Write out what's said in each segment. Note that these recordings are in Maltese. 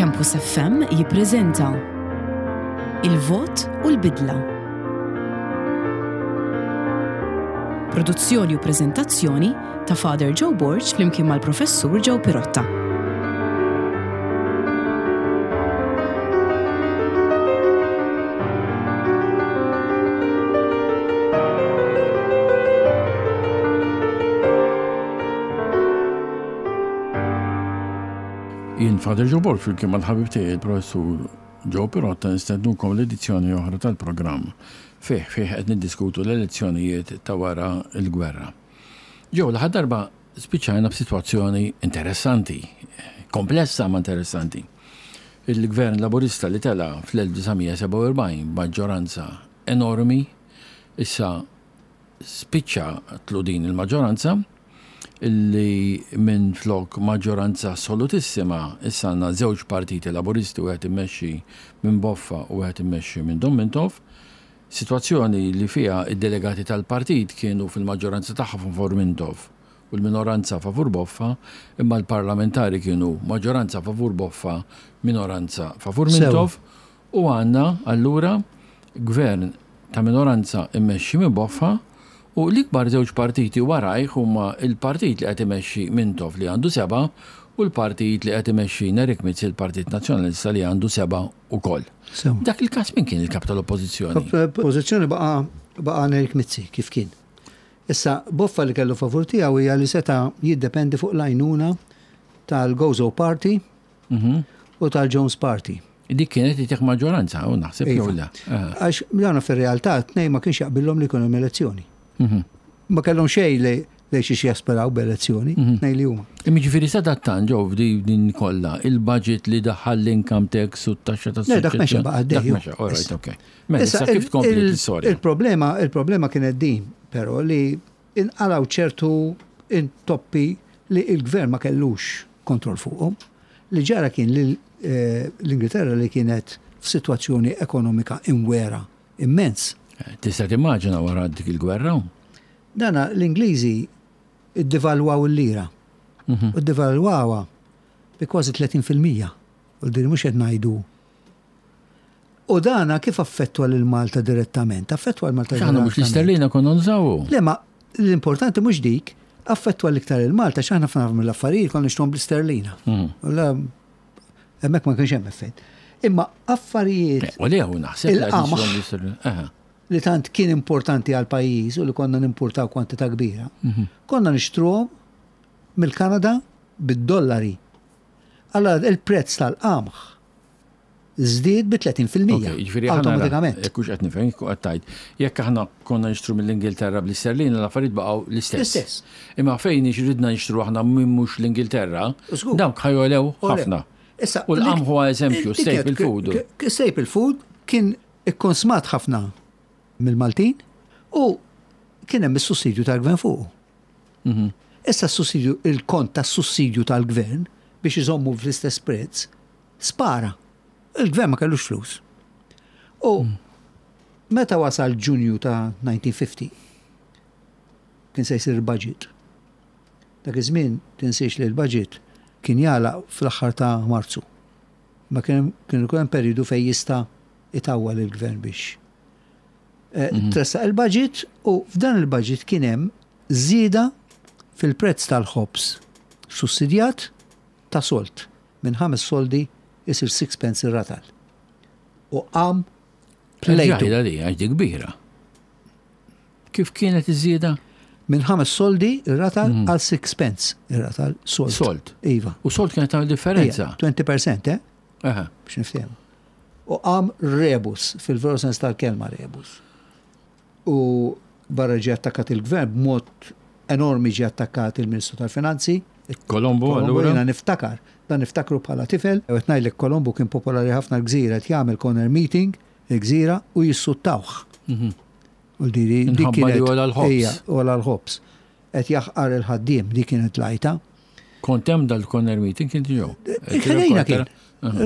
Campus FM jippreżenta Il-Vot u l-Bidla. Produzzjoni u preżentazzjoni ta' Father Joe Borg flimkien mal-Professur Joe Pirotta. Jien Father Joe Borg flimkien mal-ħabib tiegħi il-Professur Joe Pirotta nistednukom l-edizzjoni oħra tal-programm fih fih qed niddiskutu l-elezzjonijiet ta' wara l-gwerra. Joe, l-aħħar darba spiċċajna b'sitwazzjoni interessanti, komplessa ma interessanti. Il-gvern Laburista li tela' fl-1947 b'maġġoranza enormi issa spiċċatlu din il-maġġoranza li minflok maġġoranza assolutissima issa għandna żewġ partiti Laburisti wieħed immexxi minn Boffa u wieħed immexxi minn Dom Mintoff. Sitwazzjoni li fiha d-delegati tal-partit kienu fil-maġġoranza tagħha favur Mintoff u l-minoranza favur Boffa, imma l-parlamentari kienu maġġoranza favur Boffa, minoranza favur Mintoff U għandna allura gvern ta' minoranza mmexxi minn Boffa u l-ikbar żewġ partiti warajh huma l-partit li qed imexxi Mintoff li għandu sebgħa u l-partit li qed imexxi Nerik Mizzi l-Partit Nazzjonalista li għandu sebgħa wkoll. F'dak il-każ min kien il-Kap tal-Oppożizzjoni? Kap tal-Oppożizzjoni baqa' baqa' Nerik Mizzi kif kien. Issa Boffa li kellu favur tiegħu hija li seta' jiddependi fuq l-għajnuna tal-Gozo Party u tal-Jones Party. Dik kienet itih maġġoranza, u naħseb jew iva. le. Għax dawna fir-realtà tnejn ma kienx jaqbillhom li jkun hemm elezzjoni. Mhm. Ma kellhom xejn li li xi jasperaw b'elezzjoni, mhm. tnejn li huma. Imma ġifieri sadattant ġew din kollha il-budget li daħħal l-income tax u t-taxxa tas Le dak mexa baqa' Dak mexa, all right, okay. Mela issa kif tkompli l-istorja? Il-problema, il-problema kienet din, però li inqalgħu ċertu intoppi li il-gvern ma kellux kontroll fuqhom. Li ġara kien li l-Ingilterra li kienet f'sitwazzjoni ekonomika imwera immens. Tista' timmaġina wara dik il-gwerra? Dana l-Ingliżi ddevalwaw il-lira. Mhm. U ddevalwawha bi kważi 30%. U din mhux qed ngħidu U dana kif affettwa lil Malta direttament? Affettwa lil Malta direttament. Mhux l-isterlina konna nużawu. Le ma l-importanti mhux dik, affettwa l-iktar il Malta x'aħna ħafna mill-affarijiet konna nixtruhom bl-isterlina. Mhm. La hemmhekk ma kienx hemm effett. Imma affarijiet. U le hu naħseb il-qamħ li tant kien importanti għal pajjiż u li konna nimpurtaw kwantità kbira. Mhm. Konna nixtruhom mill-Kanada bid-dollari. Allora il-prezz tal-qamħ żdied bi 30% Jiġifieri aħna awtomatikament. Jekk hux qed nifhem, kieku qed tgħid, jekk aħna konna nixtru mill-Ingilterra bl-isterlina l-affarijiet baqgħu l-istess. L-istess. Imma fejn ridna nixtru aħna minn mhux l-Ingilterra, dawk ħa jogħlew ħafna. Issa, U l-qamħ huwa eżempju, staple food. Staple food kien ikkonsmat ħafna mill-Maltin u kien hemm is-sussidju tal-gvern fuqu. Mhm. Issa s-sussidju, il-kont tas-sussidju tal-gvern biex iżommu fl-istess prezz Spara. Il-gvern ma kellux flus. U meta wasal Ġunju ta' 1950, kien se jsir il-budget. Dak iż-żmien tinsiex li l-budget kien jagħlaq fl-aħħar ta' Marzu. Ma kien kien ikun hemm perjodu fejn jista' itawwal il-gvern biex eh, mhm. tressaq il-budget u f'dan il-budget kien hemm żieda fil-prezz tal-ħobż sussidjat ta' solt. Minn ħames soldi isir sixpence ir-ratal. U qam plejtu. Ġajda di, għax di kbira. Kif kienet iż-żieda? Minn ħames soldi ir-ratal mhm. għal sixpence ir-ratal sold. Sold. Iva. U sold kienet tagħmel differenza. 20%, eh? Biex niftehmu. U qam rebus, fil-veru sens tal-kelma rebus. U barra ġie attakkat il-gvern b'mod enormi ġie attakkat il-Ministru tal-Finanzi. Kolombo, allura? Jiena niftakar, dan niftakru bħala tifel, u qed ngħidlek Kolombo kien popolari ħafna l-Gżira qed jagħmel corner meeting il-Gżira u jissuttawh. Mhm. U di dik kienet. Ija, għola l-ħobż. Qed jaħqar il-ħaddiem, dik kienet l-għajta. Kont hemm dal-corner meeting kien ġew. Ħdejna kien.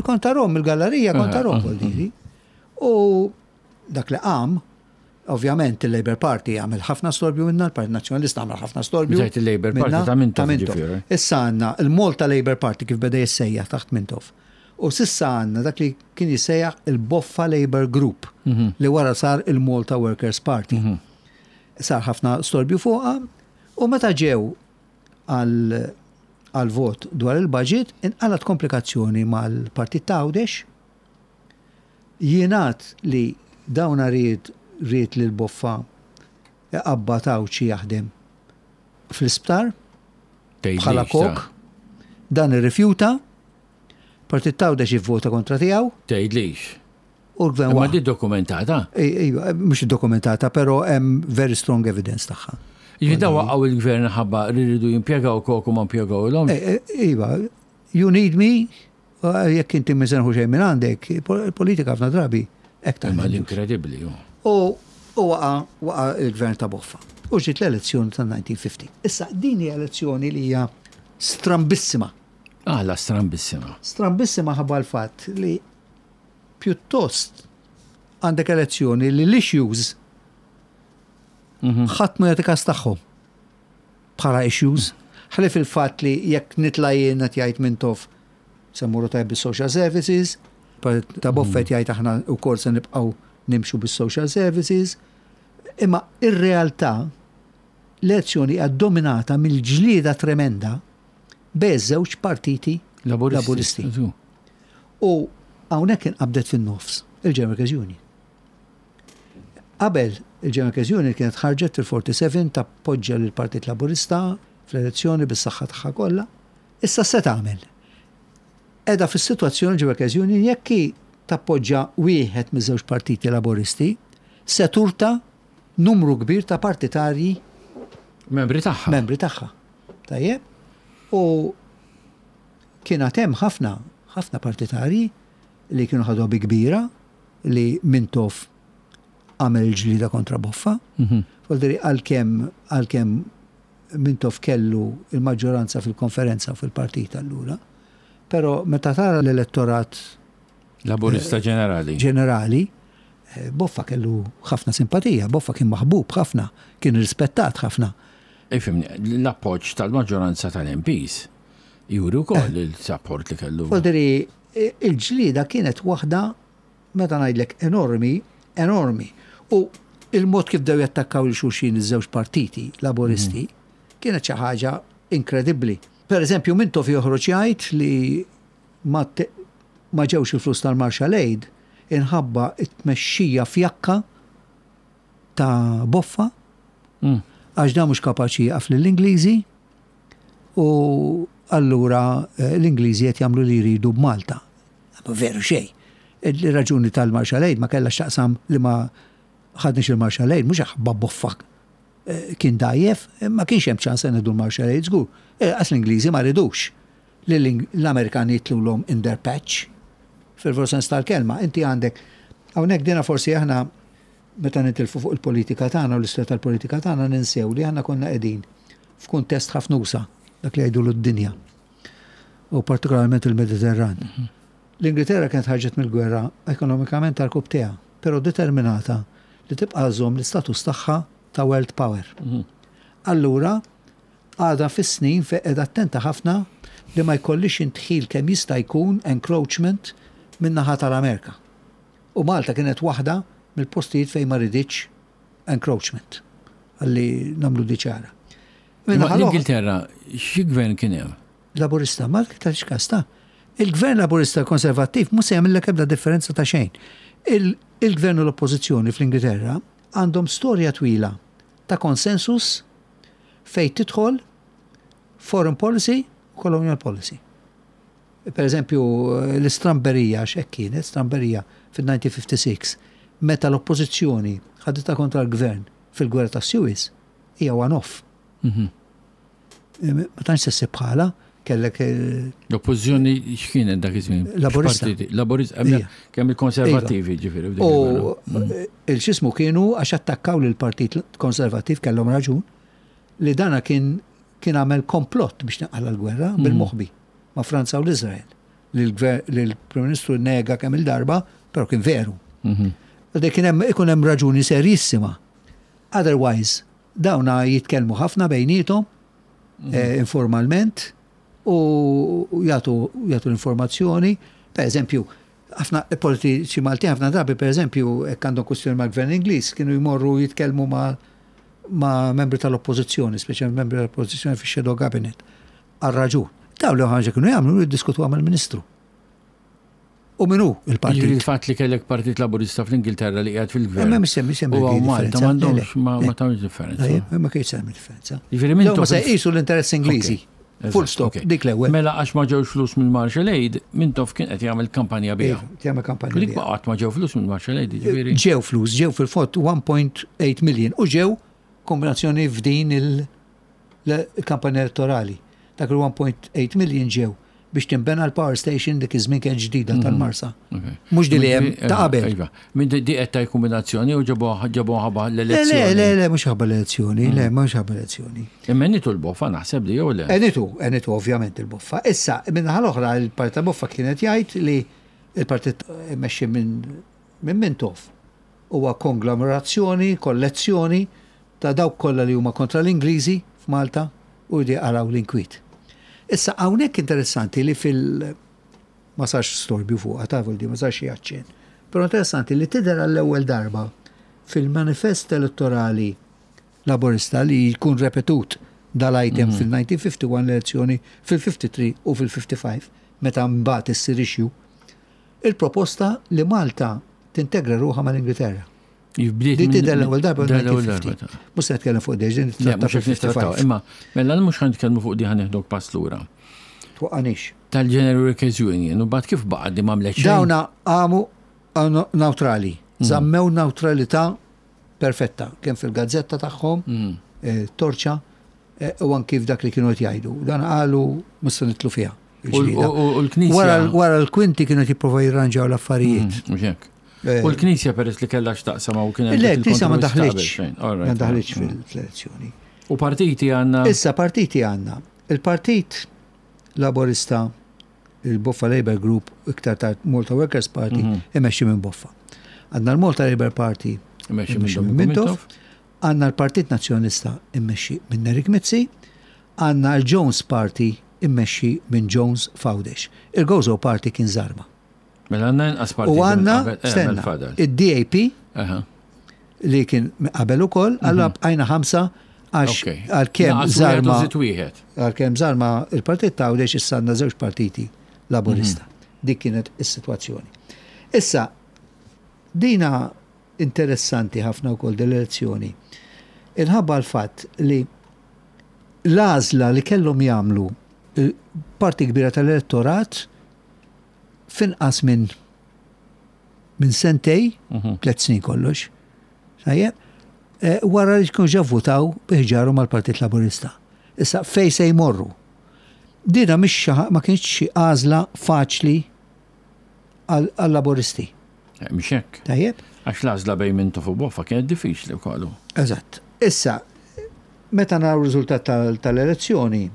Kont tarhom il-gallerija, kont tarhom diri. U Dak li qam, ovvjament il-Labour Party għamel ħafna storbju minna, il-Partit Nazzjonalista għamel ħafna storbju. Ġejt il-Labour Party ta' Mintoff. Issa għandna il-Malta Labour Party kif beda jissejjaħ taħt Mintoff. U s'issa għandna dak li kien jissejjaħ il-Boffa Labour Group li wara sar il-Malta Workers Party. Sar ħafna storbju fuqha u meta ġew għal vot dwar il-budget inqalgħet komplikazzjoni mal-Partit ta' Għawdex. Jingħad li dawna ried ried lil Boffa iqabbad Għawdxi jaħdem fl-isptar bħala kok. Dan irrifjuta. Partit t'Għawdex ivvota kontra tiegħu. Tgħidlix. U l-gvern Imma di dokumentata? Iva, mhux dokumentata, però hemm very strong evidence tagħha. Jiġifieri daw waqgħu il-gvern ħabba li rridu jimpjegaw kok u ma mpjegawlhomx? Iva, you need me, jekk inti minn se nieħu xejn minn għandek, il-politika ħafna drabi hekk taħdem. Imma l-inkredibbli hu. U waqa' waqa' il-gvern ta' Boffa. U ġiet l-elezzjoni tan-1950. Issa din hija elezzjoni li hija strambissima. Għala strambissima? Strambissima ħabba l-fatt li pjuttost għandek elezzjoni li l-issues ħadd ma jagħti każ tagħhom bħala issues. Ħlief il-fatt li jekk nitla' jien qed jgħid Mintoff se mmorru tajjeb bis-social services, ta' Buffett jgħid aħna wkoll se nibqgħu nimxu bis-social services. Imma ir-realtà l-elezzjoni hija dominata mill-ġlieda tremenda bejn iż-żewġ partiti Laburisti. U hawnhekk inqabdet fin-nofs il-General Workers Union. Qabel il-General Workers Union kienet ħarġet fil-47 tappoġġja lill-Partit Laburista fl-elezzjoni bis-saħħa tagħha kollha. Issa se tagħmel? Qiegħda fis-sitwazzjoni l-General Workers Union jekk hi tappoġġja wieħed miż-żewġ partiti Laburisti se turta numru kbir ta' partitarji membri tagħha. Membri tagħha. Tajjeb? U kien għad hemm ħafna, ħafna partitarji li kienu ħaduha bi kbira li Mintoff għamel il-ġlieda kontra Boffa. Mhm. Voldiri għalkemm għalkemm Mintoff kellu il-maġġoranza fil-konferenza u fil-partit allura. Però meta tara l-elettorat Laburista ġenerali. Ġenerali, eh, Boffa kellu ħafna simpatija, Boffa kien maħbub ħafna, kien rispettat ħafna. Ifimni, l-appoġġ tal-maġġoranza tal-MPs juri wkoll eh. il-support li kellu. Fodri, il-ġlida kienet waħda, meta ngħidlek enormi, enormi. U il-mod kif dew jattakkaw il xulxin iż-żewġ partiti laboristi mhm. kienet xi ħaġa inkredibbli. Per eżempju, Mintoff joħroġ jgħid li ma ma ġewx il-flus tal-Marshall Aid inħabba t-tmexxija fjakka ta' Boffa għax dan mhux kapaċi jieqaf lill-Ingliżi u allura eh, l-Ingliżi qed jagħmlu li jridu b'Malta. Veru xejn. Il-raġuni tal-Marshall Aid ma kellha x'taqsam li ma ħadniex il-Marshall Aid mhux ħabba Boffa eh, kien dajjef, ma kienx hemm ċans se nieħdu l-Marshall Aid żgur. Eh, għax l-Ingliżi ma ridux. li l-Amerikani jitlulhom in their patch, fil-veru sens tal-kelma. Inti għandek, hawnhekk dina forsi aħna meta nitilfu fuq il-politika tagħna u l-istorja tal-politika tagħna ninsew li aħna konna qegħdin f'kuntest ħafna usa, dak li jgħidulu d-dinja. U partikolarment il-Mediterran. Mhm. L-Ingilterra kienet ħarġet mill-gwerra ekonomikament tal-kubteha, però determinata li tibqa' żomm l-istatus tagħha ta' world power. Mhm. Allura, Għadha fis-snin fejn qiegħda attenta ħafna li ma jkollhiex indħil kemm jista' jkun, encroachment, min-naħa tal-Amerika. U Malta kienet waħda mill-postijiet fejn ma riditx encroachment. Ħalli nagħmlu di ċara. Imma l-Ingilterra xi gvern kien hemm? Laburista, ma tagħtix każ ta'. Il-gvern Laburista Konservattiv mhux se jagħmillek ebda differenza ta' xejn. Il-gvern u l-oppożizzjoni fl-Ingilterra għandhom storja twila ta' konsensus fejn tidħol foreign policy u colonial policy. Per eżempju, l-istramberija, x'hekk kienet, stramberija fil-1956, meta l-oppożizzjoni ħaditha kontra l-gvern fil-gwerra ta' Suez, hija one-off. Mhm. Ma tantx se ssib bħala, kellek. Eh, L-oppożizzjoni x'kienet dak iż-żmien? Laburista. Laburista, kemm il-konservattivi iva. ġifieri. U mm. il-xismu kienu għax attakkaw lil partit Konservattiv kellhom raġun li dana kien kien għamel komplott biex tinqala l-gwerra mm. bil-moħbi ma' Franza u l-Izrael. Li l-Prim Ministru nega kemm il-darba, però kien veru. Mhm. Dik kien hemm ikun hemm raġuni serjissima. Otherwise, dawna jitkellmu ħafna bejnietom mhm. eh, informalment u jagħtu jagħtu l-informazzjoni. Per eżempju, ħafna politiċi Maltin ħafna drabi, per eżempju, jekk għandhom kwistjoni mal-gvern Ingliż, kienu jmorru jitkellmu ma' ma' membri tal-oppożizzjoni, speċjalment membri tal-oppożizzjoni fix-shadow cabinet, għal raġun. Dawn li ħaġa kienu jagħmlu jiddiskutuha mal-Ministru. U min hu il-partit? Jiġifieri il-fatt li kellek Partit Laburista fl-Ingilterra li qiegħed fil-gvern. Ma mhix mhix U hawn Malta m'għandhomx ma tagħmilx differenza. Ma kienx tagħmel differenza. Jiġifieri minn ma se jqisu l-interess Ingliżi. Full stop, dik l-ewwel. Mela għax ma ġewx flus mill-Marshall Aid, Mintoff kien qed jagħmel kampanja biha. Iva, jagħmel kampanja. Dik qatt ma ġew flus mill-Marshall Aid, jiġifieri. Ġew flus, ġew fil-fatt 1.8 million u ġew kombinazzjoni f'din il-kampanja elettorali. Dak il-1.8 million ġew biex tinbena l-power station dik iż-żmien kien ġdida mhm. tal-Marsa. Mhux di li hemm eh, ta' qabel. Iva. Minn di qed ta' kombinazzjoni u ġebu ħabba l-elezzjoni. Le, le, le, mhux ħabba l-elezzjoni, le, mhm. mhux ħabba l-elezzjoni. Imma nitu l-boffa naħseb li jew le. Enitu, enitu ovvjament il-boffa. Issa, minn l-oħra il-partit ta' boffa kienet jgħid li il-partit immexxi minn minn Mintoff huwa konglomerazzjoni, kollezzjoni ta' dawk kollha li huma kontra l-Ingliżi f'Malta u jridu jaqalgħu l-inkwiet. Issa hawnhekk interessanti li fil ma sarx storbju fuqha ta' di ma sarx xi aċċenn. Però interessanti li tidher għall-ewwel darba fil-manifest elettorali Laburista li jkun repetut dal-item mhm. fil-1951 l-elezzjoni, fil-53 u fil-55 meta mbagħad issir issue, il-proposta li Malta tintegra ruħha mal-Ingilterra. Di tidher l-ewwel darba l-ewwel Mhux se nitkellem fuq deġ, din nittratta fil-55. Imma mela mhux ħan nitkellmu fuq di ħan neħdok pass lura. Twaqqanix. Tal-General Workers Union, u bad kif baqa' di m'għamlet xejn. Dawna għamu neutrali, mm. żammew neutralità perfetta, kemm fil-gazzetta tagħhom, mm. eh, torċa, eh, u anki f'dak li kienu qed jgħidu. Dan qalu mhux se nitlu fiha. U l-Knisja. Wara l-kwinti kienu jipprova jirranġaw l-affarijiet. Mm, eh. U l-Knisja peress li kellha x'taqsam u kien Le, l-Knisja ma daħlitx. Ma daħlitx mm. fil-elezzjoni. U partiti għandna? Issa partiti għandna. Il-Partit Laborista, il-Boffa Labour Group, iktar tard Malta Workers Party, mhm. imexxi minn Boffa. Għandna l-Malta Labour Party, imexxi minn Mintoff. Għandna l-Partit Nazzjonalista immexxi minn Nerik Mizzi, għandna l-Jones Party immexxi minn Jones f'Għawdex. Il-Gozo Party kien żarma. Mela għandna inqas partiti. U għandna, eh, stenna, id-DAP li kien qabel ukoll, mhm. allura bqajna ħamsa għax għalkemm żarma. Għalkemm żarma il-partit ta' Għawdex issa għandna żewġ partiti laburista. Mhm. Dik kienet is-sitwazzjoni. Issa, dina Interessanti ħafna wkoll din l-elezzjoni inħabba l-fatt li l-għażla li kellhom jagħmlu parti kbira tal-elettorat f'inqas minn minn sentej, mhm. tlet snin kollox, tajjeb, eh, wara li tkun ġa votaw biħġaru mal-Partit Laburista. Issa fej se jmorru. Dina mhix ma kienx xi għażla faċli għal-Laburisti. Eh, mhux hekk. Tajjeb. Għax l-għażla bejn Mintoff u Boffa kienet diffiċli wkoll. Eżatt. Issa, meta naraw riżultat tal-elezzjoni,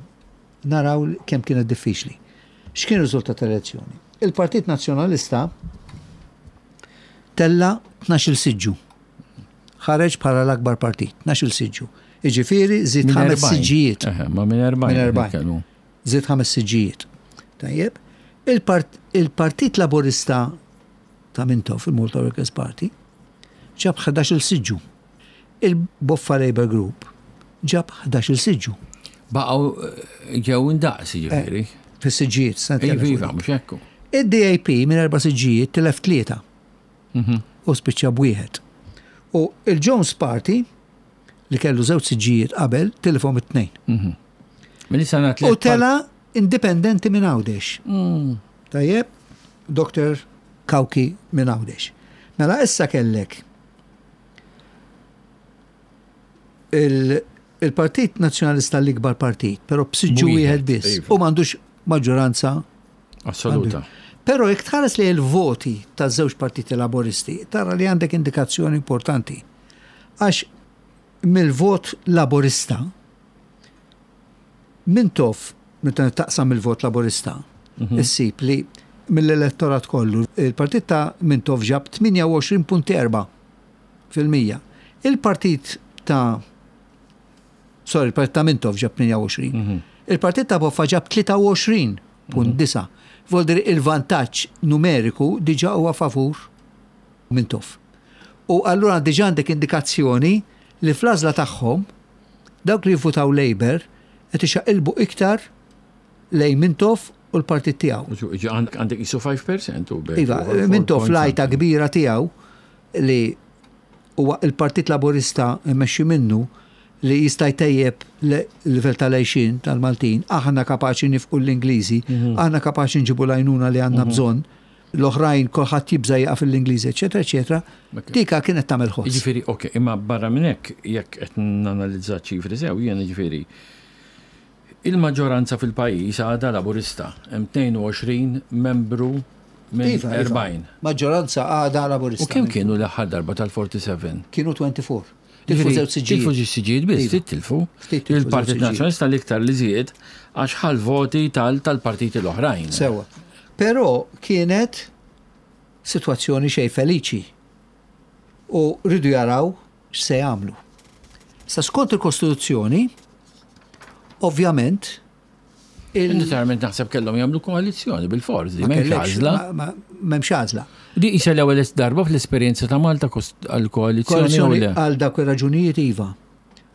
naraw kemm kienet diffiċli. X'kien riżultat tal-elezzjoni? Il-Partit Nazzjonalista tella 12 siġġu. Ħareġ bħala l-akbar partit, 12 siġġu. Iġifieri żied ħames siġġijiet. Ma minn 40. Żied ħames siġġijiet. Tajjeb. Il-Partit Laburista ta' Mintoff, il-Malta Workers Party, ġab 11-il siġġu. Il-Boffa Labour Group ġab 11-il siġġu. Baqgħu eh, ġew indaqs jiġifieri. Eh, fis-siġġijiet, Iva, iva, mhux hekk. Id-DAP minn erba' siġġijiet tilef tlieta. Mhm. U spiċċa b'wieħed. U il-Jones Party li kellu żewġ siġġijiet qabel tilifhom it-tnejn. Mhm. U tela indipendenti minn Għawdex. Mm. Tajjeb, Dr. Kawki minn Għawdex. Mela issa kellek il-Partit Nazzjonalista l-ikbar partit, però b'siġġu wieħed biss iva. u m'għandux maġġoranza assoluta. Però jekk tħares li l-voti ta' żewġ partiti laboristi, tara li għandek indikazzjoni importanti. Għax mill-vot laborista, Mintoff, meta taqsam il-vot Laburista, mhm. issib li mill-elettorat kollu, il-partit ta' Mintoff ġab 28.4 fil-mija. Il-partit ta' Sorry, il-partit ta' Mintoff ġab 28. Mhm. Il-partit ta' Boffa ġab 23.9. Mhm. Voldiri il-vantaġġ numeriku diġà huwa favur Mintoff. U allura diġà għandek indikazzjoni li fl-għażla tagħhom dawk li jivvutaw Labour qed ixaqilbu iktar lejn Mintoff u l-partit tiegħu. Għandek qisu 5% u bekk. Iva, Mintoff l-għajta kbira tiegħu li huwa il-Partit Laburista mmexxi minnu li jista' jtejjeb l-livell tal-għixien tal-Maltin, aħna kapaċi nifqu l-Ingliżi, aħna kapaċi nġibu l-għajnuna li għandna bżonn, l-oħrajn kulħadd jibża' jieqaf l-Ingliżi, eċetera, eċetera, dika kienet tagħmel ħoss. Jiġifieri, ok, imma barra minn hekk, jekk qed nanalizza ċifri sew, jien jiġifieri il-maġġoranza fil-pajjiż għadha Laburista, hemm 22 membru minn Iva, iva. 40. Maġġoranza għadha Laburista. U kemm kienu l-aħħar darba tal-47? Kienu 24. Tilfu żewġ siġġijiet. Tilfu żewġ siġġijiet biss, Iva. ftit tilfu. Ftit tilfu żewġ Il-Partit siġġijiet. Nazzjonalista l-iktar li żied għax ħa l-voti tal-partiti l-oħrajn. Sewa. Però kienet sitwazzjoni xejn feliċi. U rridu jaraw x'se jagħmlu. Sa skont il-Kostituzzjoni, ovvjament, il- Naturalment naħseb kellhom jagħmlu koalizzjoni bil-forzi, ma m'hemmx kellekx- għażla. ma- ma- M'hemmx għażla. Di isa l-ewwel darba fl-esperjenza ta' Malta għal-koalizzjoni u Koalizzjoni le. għal dawk ir-raġunijiet iva.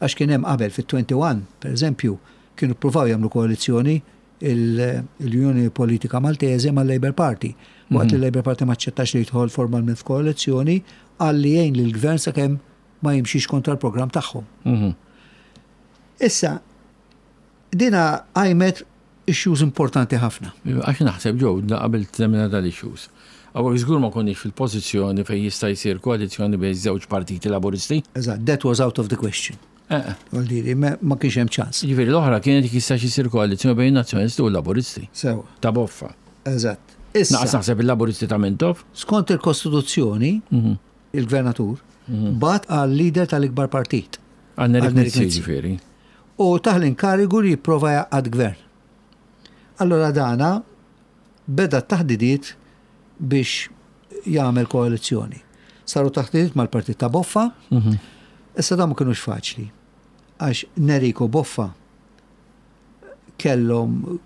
Għax kien hemm qabel fit-21, per eżempju, kienu ppruvaw jagħmlu koalizzjoni l-Unjoni Politika Maltese mal-Labour Party. Waqt li l-Labour Party ma aċċettax li jidħol formalment f'koalizzjoni għal li jgħin lill-gvern sakemm ma jimxix kontra l-programm tagħhom. Issa, dina għajmet issues importanti ħafna. Għax naħseb ġew qabel temmina dal-issues. Għawek żgur ma konniex fil-pożizzjoni fejn jista' jsir koalizzjoni bejn żewġ partiti laburisti. Eżatt, that was out of the question. Eh, Vuol ma ma kienx hemm ċans. Ġifieri l-oħra kienet jistax isir koalizzjoni bejn nazzjonalisti u laburisti. Sewa, Ta' boffa. eżatt. Naqas Issa, naħseb il-laburisti ta' Mintoff. skont il-Kostituzzjoni, il-gvernatur, bat għal leader tal-ikbar partit Għal Għal Nerik Nerik Mizzi Mizzi. ġifieri. u taħ l-inkarigu li jipprova jaqgħad gvern. Allora dana beda t-taħdidiet biex jagħmel koalizzjoni. Saru taħdidiet mal-partit ta' Boffa, issa dan ma kinux faċli. Għax Neriko Boffa kellhom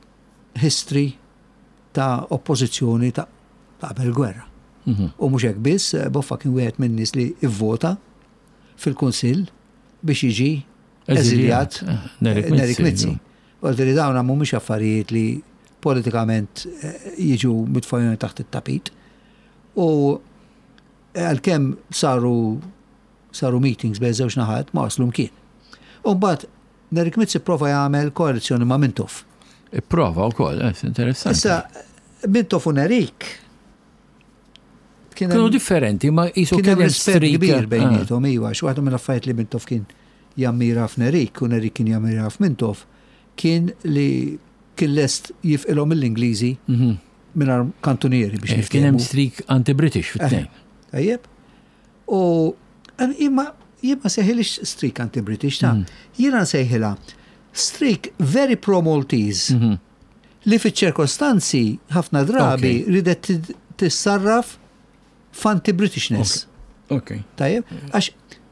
history ta' oppożizzjoni ta' ta' qabel gwerra. U mhux hekk biss, Boffa kien wieħed minn nies li ivvota fil-Kunsill biex jiġi eżiljat Eh, Nerik Nerik Mizzi. Mizzi. Għaldiri dawn mhumiex affarijiet li politikament eh, jiġu mitfajjoni taħt it-tapit. U eh, għalkemm saru saru meetings bejn żewġ naħat ma waslu mkien. U mbagħad Nerik Mizzi prova jagħmel koalizzjoni ma' Mintoff. Ipprova wkoll, eh, interessanti. Issa Mintoff u Nerik kien Kienu hemm- differenti, ma jisu kien hemm kien rispett streak. kbir Ah. bejniethom, iva, għax waħda mill-affarijiet li Mintoff kien jammira f'Nerik u Nerik kien jammira f'Mintoff kien li kien lest jifqilhom mill-Ingliżi mingħajr kantunieri biex Eh, Kien hemm niftehmu. streak anti-British fit-tnejn. Tajjeb. U imma jien ma sejħilix streak anti-British ta' jiena nsejħilha streak very pro-Maltese li fiċ-ċirkostanzi ħafna drabi Ok. ridet tissarraf f'anti-Britishness. Ok. Tajjeb, għax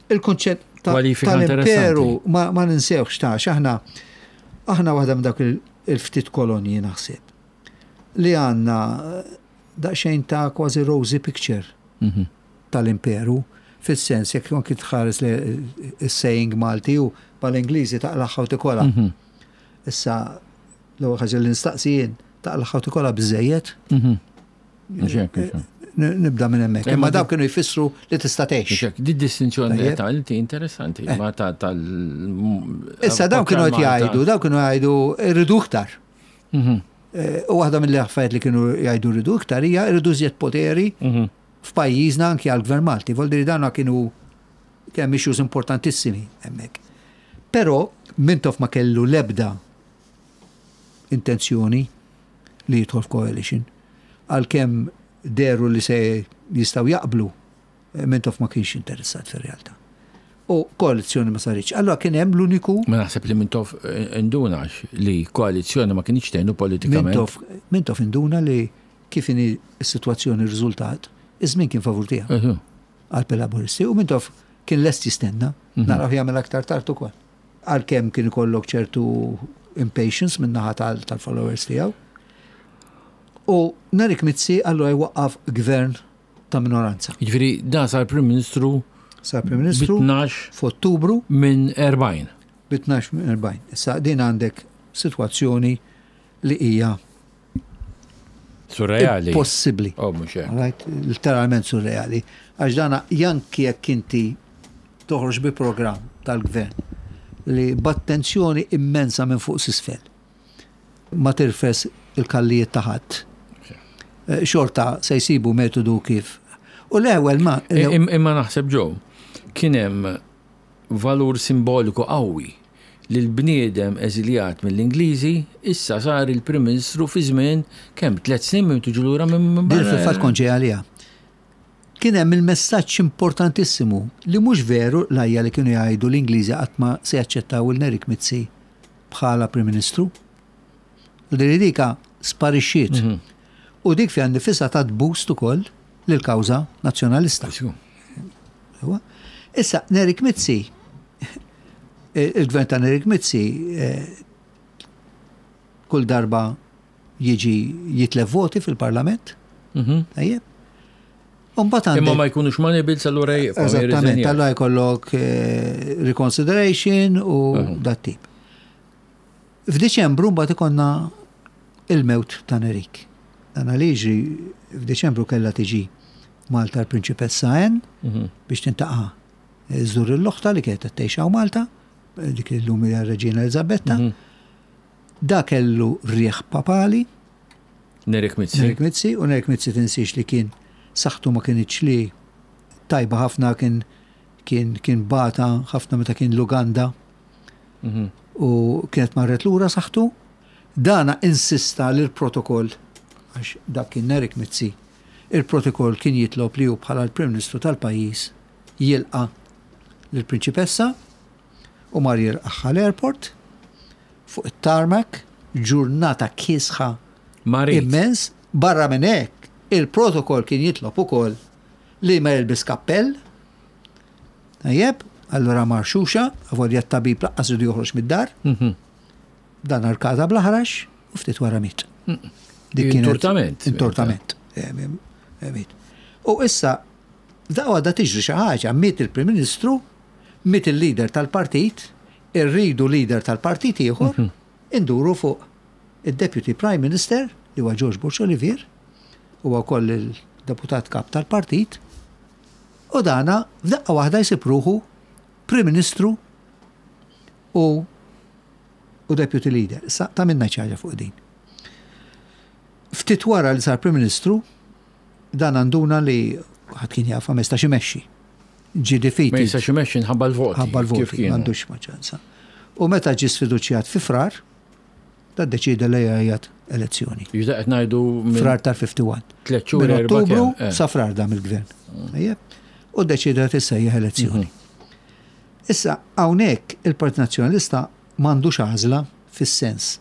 il-konċett ta- Kwalifika tal-imperu interessanti. ma, ma ninsewx ta' għax aħna aħna waħda minn dak il- il-ftit kolonji naħseb li għandna eh, daqsxejn ta' kważi rosy picture tal-imperu fis-sens jekk anki tħares li s-saying Malti u mal-Ingliżi taqlaħħa u tikola. Issa l-ewwel ħaġa li nistaqsi jien taqlaħħa u tikola biżejjed Mhux hekk, mhux hekk. N- nibda minn hemmhekk. Imma Imma di- dawk kienu jfissru li tista' tgħix. Mhux hekk, Di distinzjoni Tajjeb. ta' inti interessanti, ma ta' tal. Issa dawn kienu qed jgħidu, dawn kienu jgħidu rridu iktar. Eh, U waħda mill-affarijiet li kienu jgħidu rridu iktar hija rridu żjed poteri f'pajjiżna anki għall-Gvern Malti. Vol dir dawna kienu kemm issues importantissimi hemmhekk. Però Mintoff ma kellu l-ebda intenzjoni li jidħol f'coalition. Għalkemm deru li se jistgħu jaqblu, eh, Mintoff ma kienx interessat fir-realtà. U koalizzjoni ma saritx. Allora kien hemm l-uniku Ma naħseb li Mintoff indunax li koalizzjoni ma kienx tgħinu politikament. Mintoff, Mintoff induna li kif inhi s-sitwazzjoni r-riżultat, iż-żmien kien favur tiegħu Eħu. għal laburisti u Mintoff kien lest jistenna, naraw jagħmel aktar tard ukoll. Għalkemm kien ikollok ċertu impatience min-naħa tal- tal-followers tiegħu. U Nerik Mizzi allura jwaqqaf gvern ta' minoranza. Jiġifieri dan sar Prim Ministru Sar Prim Ministru bi 12 f'Ottubru minn 40. Bi 12 minn 40. Issa din għandek sitwazzjoni li hija Surreali. Possibbli. Oh, mhux hekk. Right? Literalment surreali. Għax dana janki jekk inti toħroġ bi programm tal-gvern li b'attenzjoni immensa minn fuq s'isfel ma tirfes il-kallijiet ta' ħadd. Eh, xorta se jsibu metodu kif. U l-ewwel ma. Imma naħseb ġew, kien hemm valur simboliku qawwi li l-bniedem eżiljat mill-Ingliżi issa sar il-Prim Ministru fi żmien kemm tliet snin minn tiġu lura minn Din fil-fatt kont ġej għaliha. Kien hemm il-messaġġ importantissimu li mhux veru l-għajja li kienu jgħidu l-Ingliżi qatt ma se jaċċettaw il Nerik Mizzi bħala Prim Ministru. U din dika sparixxiet. Mhm. U dik fiha nifisha tat boost ukoll lill-kawża nazzjonalista. Issa, Nerik Mizzi, il-gvern ta' Nerik Mizzi eh, kull darba jiġi jitlef voti fil-parlament. Mhm. Tajjeb. Imma ma jkunux money bills allura jibqgħu. Eżattament, allura jkollok eh, reconsideration u dat tip. F'Diċembru mbagħad ikollna il-mewt ta' Nerik. Dan li jiġri f'Diċembru kellha tiġi Malta l-Prinċipessa Anne mhm. biex tintaqa' żżur l-oħta li kienet qed tgħix hawn Malta, dik li llum hija r-Reġina Eliżabetta. Mhm. Da kellu rieħ papali. Nerik Mizzi. Nerik Mizzi, u Nerik Mizzi tinsiex li kien saħħtu ma kinitx li tajba ħafna kien kien kien bata ħafna meta kien l-Uganda. Mhm. U kienet marret lura saħħtu. Dana insista li l-protokoll għax dak kien Nerik Mizzi, il-protokoll kien jitlob li hu bħala l-Prim Ministru tal-pajjiż jilqa' lill-Prinċipessa u mar jilqagħha l-airport fuq it-tarmac, ġurnata kiesħa immens. Barra minn hekk, il-protokoll kien jitlob ukoll li ma jilbis kappell. Tajjeb, allura mar xuxa, avolja t-tabib laqqas ridu joħroġ mid-dar. Mhm. Dan arkada bl-aħrax u ftit wara miet. Mm. Dik Intortament. Intortament. Eh, eh, miet. U issa, da għadha tiġri xi ħaġa, miet il-Prim Ministru, miet il-leader tal-partit, irridu leader tal-partit ieħor, mhm. induru fuq id-Deputy Prime Minister li huwa George Borg Olivier, huwa wkoll il-deputat kap tal-partit, u dana f'daqqa waħda jsib ruħu Prim Ministru u u Deputy Leader. Issa ta' minna ħaġa fuq din. Ftit wara li sar Prim Ministru, dan għanduna li ħadd kien jafa ma jistax imexxi. Ġie defeated. Ma jistax imexxi nħabba l-voti. Ħabba l-voti, m'għandux maġġoranza. U meta ġie sfiduċjat fi Frar, da ddeċieda li jgħajjat elezzjoni. Jiġda qed ngħidu Frar tal-51. Tliet xhur Minn Ottubru eh. sa frar dam il-gvern. Mm. U ddeċieda tissejjaħ elezzjoni. Mhm. Issa hawnhekk il-Partit Nazzjonalista m'għandux għażla fis-sens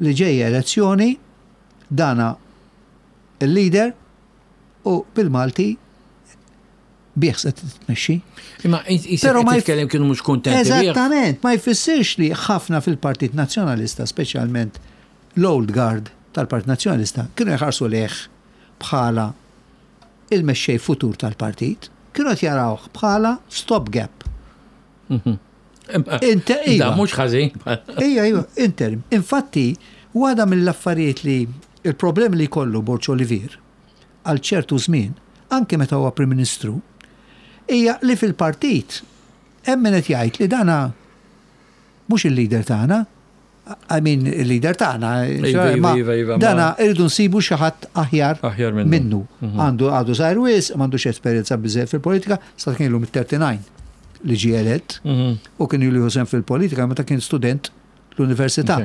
li ġejja elezzjoni dana il-leader u bil-Malti bih se tmexxi. Imma Però ma jitkellem kienu mhux kuntenti. Eżattament, ma jfissirx li ħafna fil-Partit Nazzjonalista, speċjalment l-old guard tal-Partit Nazzjonalista, kienu jħarsu lejh bħala il-mexxej futur tal-partit, kienu qed jarawh bħala stopgap. Mhm. Inter, iva. mhux ħażin. Ija, iva, interim. Infatti, waħda mill-affarijiet li il-problemi li jkollu Borġ Olivier għal ċertu żmien, anke meta huwa Prim Ministru, hija li fil-partit hemm min qed jgħid li dana mhux il-leader tagħna, I mean il-leader tagħna, iva, iva, iva, iva, dana irridu nsibu xi ħadd aħjar minnu. Mhm. Għandu għadu żgħir wisq, m'għandux esperjenza biżejjed fil-politika, sa kien ilu mit-39 li ġie elett mhm. u kien ilu josem fil-politika meta kien student l-università.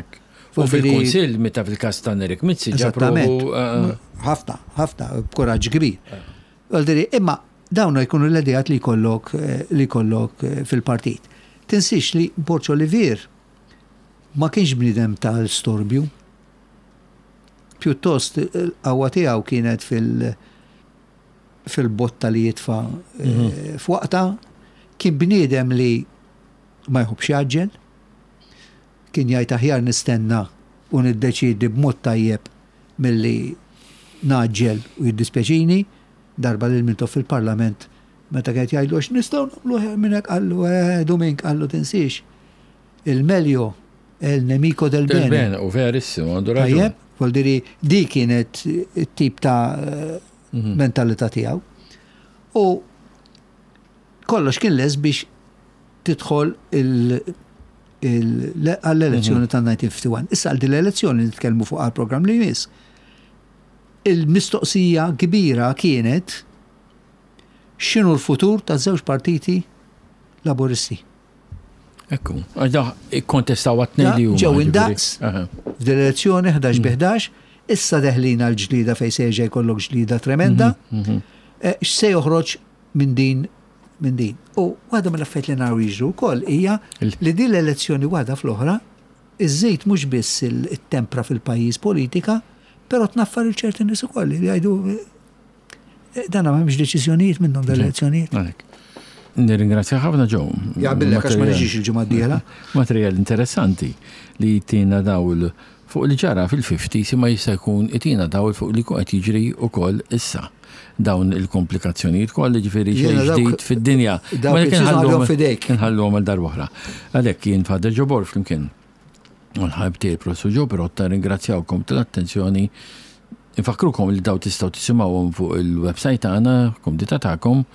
U fil-Kunsill meta fil-każ ta' Nerik Mizzi Eżattament. Eh, ħafna, ħafna, b'kuraġġ kbir. Eh. Imma dawn jkunu l-idejat li jkollok eh, li jkollok fil-partit. Tinsiex li Borġ Olivier ma kienx bniedem tal-storbju. Pjuttost il-qawwa tiegħu kienet fil- fil-botta li jitfa' mhm. f'waqta, kien bniedem li ma jħobbx jgħaġġel, Kien jgħid aħjar nistenna u niddeċiedi b'mod tajjeb milli Ngħaġġel u jiddispjaċini, darba lil Mintoff fil-Parlament meta kien qed jgħidlu għax nistgħu nagħmlu aħjar minn hekk qallu eh Dumink qallu tinsiex il meglio è il nemico del bene. Del bene, u verissimo, għandu raġun. Tajjeb, vuol dire di kienet it-tip ta' mhm. mentalità tiegħu. U kollox kien les biex tidħol għall-elezzjoni mhm. tal-1951. Issa għal din l-elezzjoni nitkellmu fuq għal-programm li jmiss. Il-mistoqsija kbira kienet x'inhu l-futur ta' żewġ partiti laburisti. Ekku, għax da ikkontestaw għat-tnejn li huma. Ġew indaqs f'din l-elezzjoni 11 bi 11, issa deħlin għal ġlida fejn se jerġa' jkollok ġlida tremenda. Mhm, mhm. Eh, x'se joħroġ minn din minn din. U waħda mill-affarijiet li naraw jiġru wkoll hija li din l-elezzjoni waħda fl-oħra iżżid mhux biss it-tempra fil-pajjiż politika, però tnaffar il ċerti nies ukoll li jgħidu eh, dan m'hemmx deċiżjonijiet minnhom dal-elezzjonijiet. Nirringrazzja ħafna ġew. Jaqbillek għax ma niġix il-ġimgħa d-dieħla. Materjal interessanti li tina dawl fuq li ġara fil-50s imma jista' jkun itina dawl fuq li qed jiġri wkoll issa. Dawn il-komplikazzjonijiet kollha ġifieri xejn ġdid fid-dinja. Ma nħallhom fidejk. Nħalluhom għal darb'oħra. Għalhekk jien Father Joe Borg flimkien u l-ħabib tiegħi Professur Joe Pirotta ringrazzjawkom tal-attenzjoni. Infakkrukom li daw tistgħu tisimgħuhom fuq il-website tagħna, kumdità tagħkom,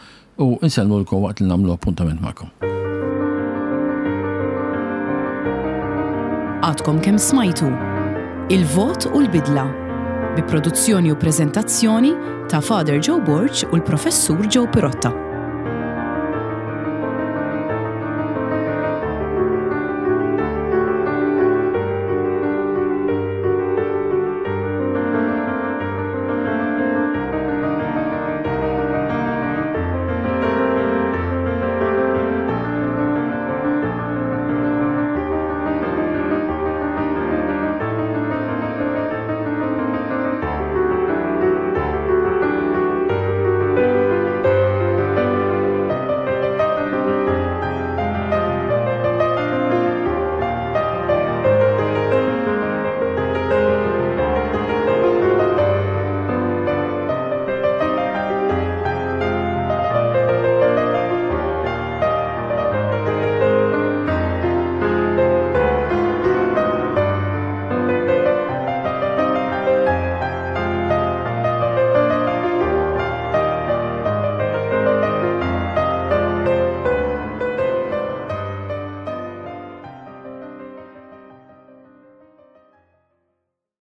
u nsellmulkom waqt li nagħmlu appuntament magħkom. Għadkom kemm smajtu Il-Vot u l-Bidla bi produzzjoni u preżentazzjoni ta' Father Joe Borg u l-Professur Joe Pirotta.